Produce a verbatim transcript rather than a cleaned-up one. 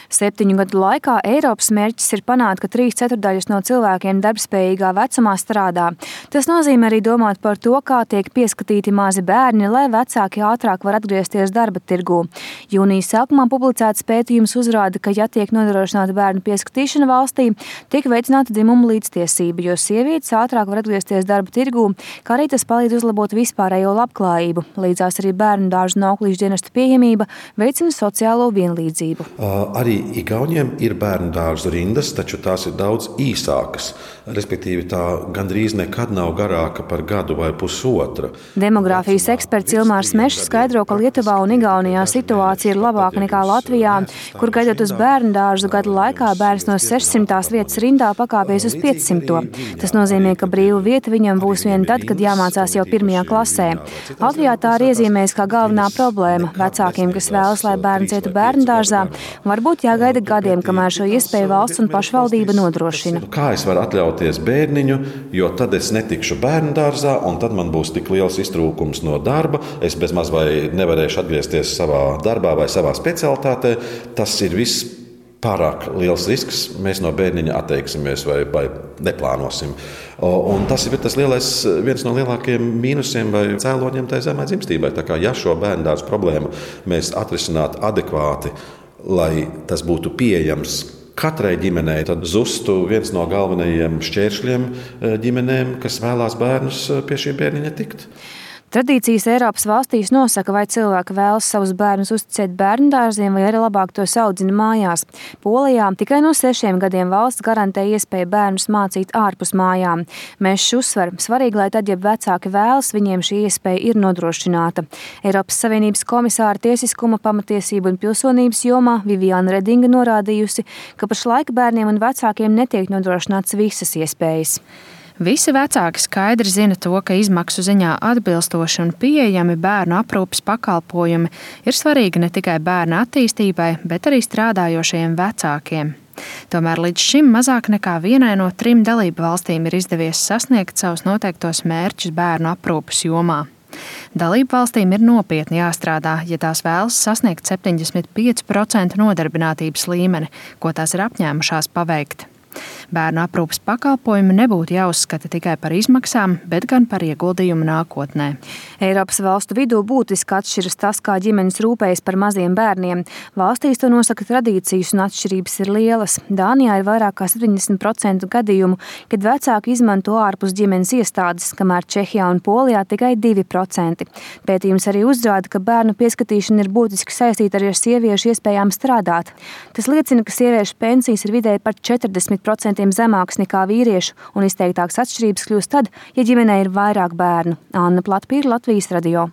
Septiņu gadu laikā Eiropas mērķis ir panākt, ka trīs ceturdaļas no cilvēkiem darbspējīgā vecumā strādā. Tas nozīmē arī domāt par to, kā tiek pieskatīti mazi bērni, lai vecāki ātrāk var atgriezties darba tirgū. Jūnijas sākumā publicēts pētījums uzrāda, ka, ja tiek nodrošināta bērnu pieskatīšana valstī, tiek veicināta dzimuma līdztiesība, jo sievietes ātrāk var atgriezties darba tirgū, kā arī tas palīdz uzlabot vispārējo labklājību. Līdzās arī bērnu dārzu un auklīšu dienestu pieejamība veicina sociālo vienlīdzību. Arī Igauniem ir bērnu dārzu rindas, taču tās ir daudz īsākas. Respektīvi, tā gandrīz nekad nav garāka par gadu vai pusotra. Demogrāfijas eksperts Ilmārs Mešs skaidro, ka Lietuvā un Igaunijā situācija ir labāka nekā Latvijā, kur gaidot uz bērnu dārzu gadu laikā bērns no sešsimtās vietas rindā pakāpies uz piecsimto. Tas nozīmē, ka brīva vieta viņam būs vien tad, kad jāmācās jau pirmajā klasē. Latvijā tā ir iezīmējas kā galvenā problēma. Vecākiem, kas vēlas, lai bērns ietu bērnu dārzā, varbūt jāgaida gadiem, kamēr šo iespēju valsts un pašvaldība nodrošina. Kā es varu atļauties bērniņu, jo tad es netikšu bērnu dārzā, un tad man būs tik liels iztrūkums no darba, es bezmaz vai nevarēšu atgriezties savā darbā vai savā specialitātē. Tas ir viss pārāk liels risks, mēs no bērniņa atteiksimies vai, vai neplānosim. Un tas ir tas lielais, viens no lielākajiem mīnusiem vai cēloņiem tai zemai dzimstībai. Tā kā ja šo bērnu dārzu problēmu mēs atrisinātu adekvāti, lai tas būtu pieejams katrai ģimenei, tad zustu viens no galvenajiem šķēršļiem ģimenēm, kas vēlās bērnus pie šī bērniņa tikt. Tradīcijas Eiropas valstīs nosaka, vai cilvēki vēlas savus bērnus uzticēt bērnu dārziem, vai arī labāk tos audzina mājās. Polijā tikai no sešiem gadiem valsts garantē iespēju bērnus mācīt ārpus mājām. Mešs uzsver, svarīgi, lai tad, ja vecāki vēlas, viņiem šī iespēja ir nodrošināta. Eiropas Savienības komisāra tiesiskuma, pamatiesību un pilsonības jomā Viviana Redinga norādījusi, ka pašlaik bērniem un vecākiem netiek nodrošināts visas iespējas. Visi vecāki skaidri zina to, ka izmaksu ziņā atbilstoši un pieejami bērnu aprūpes pakalpojumi ir svarīgi ne tikai bērna attīstībai, bet arī strādājošajiem vecākiem. Tomēr līdz šim mazāk nekā vienai no trim dalību valstīm ir izdevies sasniegt savus noteiktos mērķus bērnu aprūpes jomā. Dalību valstīm ir nopietni jāstrādā, ja tās vēlas sasniegt septiņdesmit pieci procenti nodarbinātības līmeni, ko tās ir apņēmušās paveikt. Bērnu aprūpes pakalpojumi nebūtu jāuzskata tikai par izmaksām, bet gan par ieguldījumu nākotnē. Eiropas valstu vidū būtiski atšķiras tas, kā ģimenes rūpējas par maziem bērniem. Valstīs to nosaka tradīcijas un atšķirības ir lielas. Dānijā ir vairāk kā septiņdesmit procenti gadījumu, kad vecāki izmanto ārpus ģimenes iestādes, kamēr Čehijā un Polijā tikai divi procenti. Pētījums arī uzrāda, ka bērnu pieskatīšana ir būtiski saistīta arī ar sieviešu iespējām strādāt. Tas liecina, ka sieviešu pensijas ir vidēji par četrdesmit procentiem zemāks nekā vīriešu, un izteiktākas atšķirības kļūst tad, ja ģimenē ir vairāk bērnu. Anna Platpīra, Latvijas radio.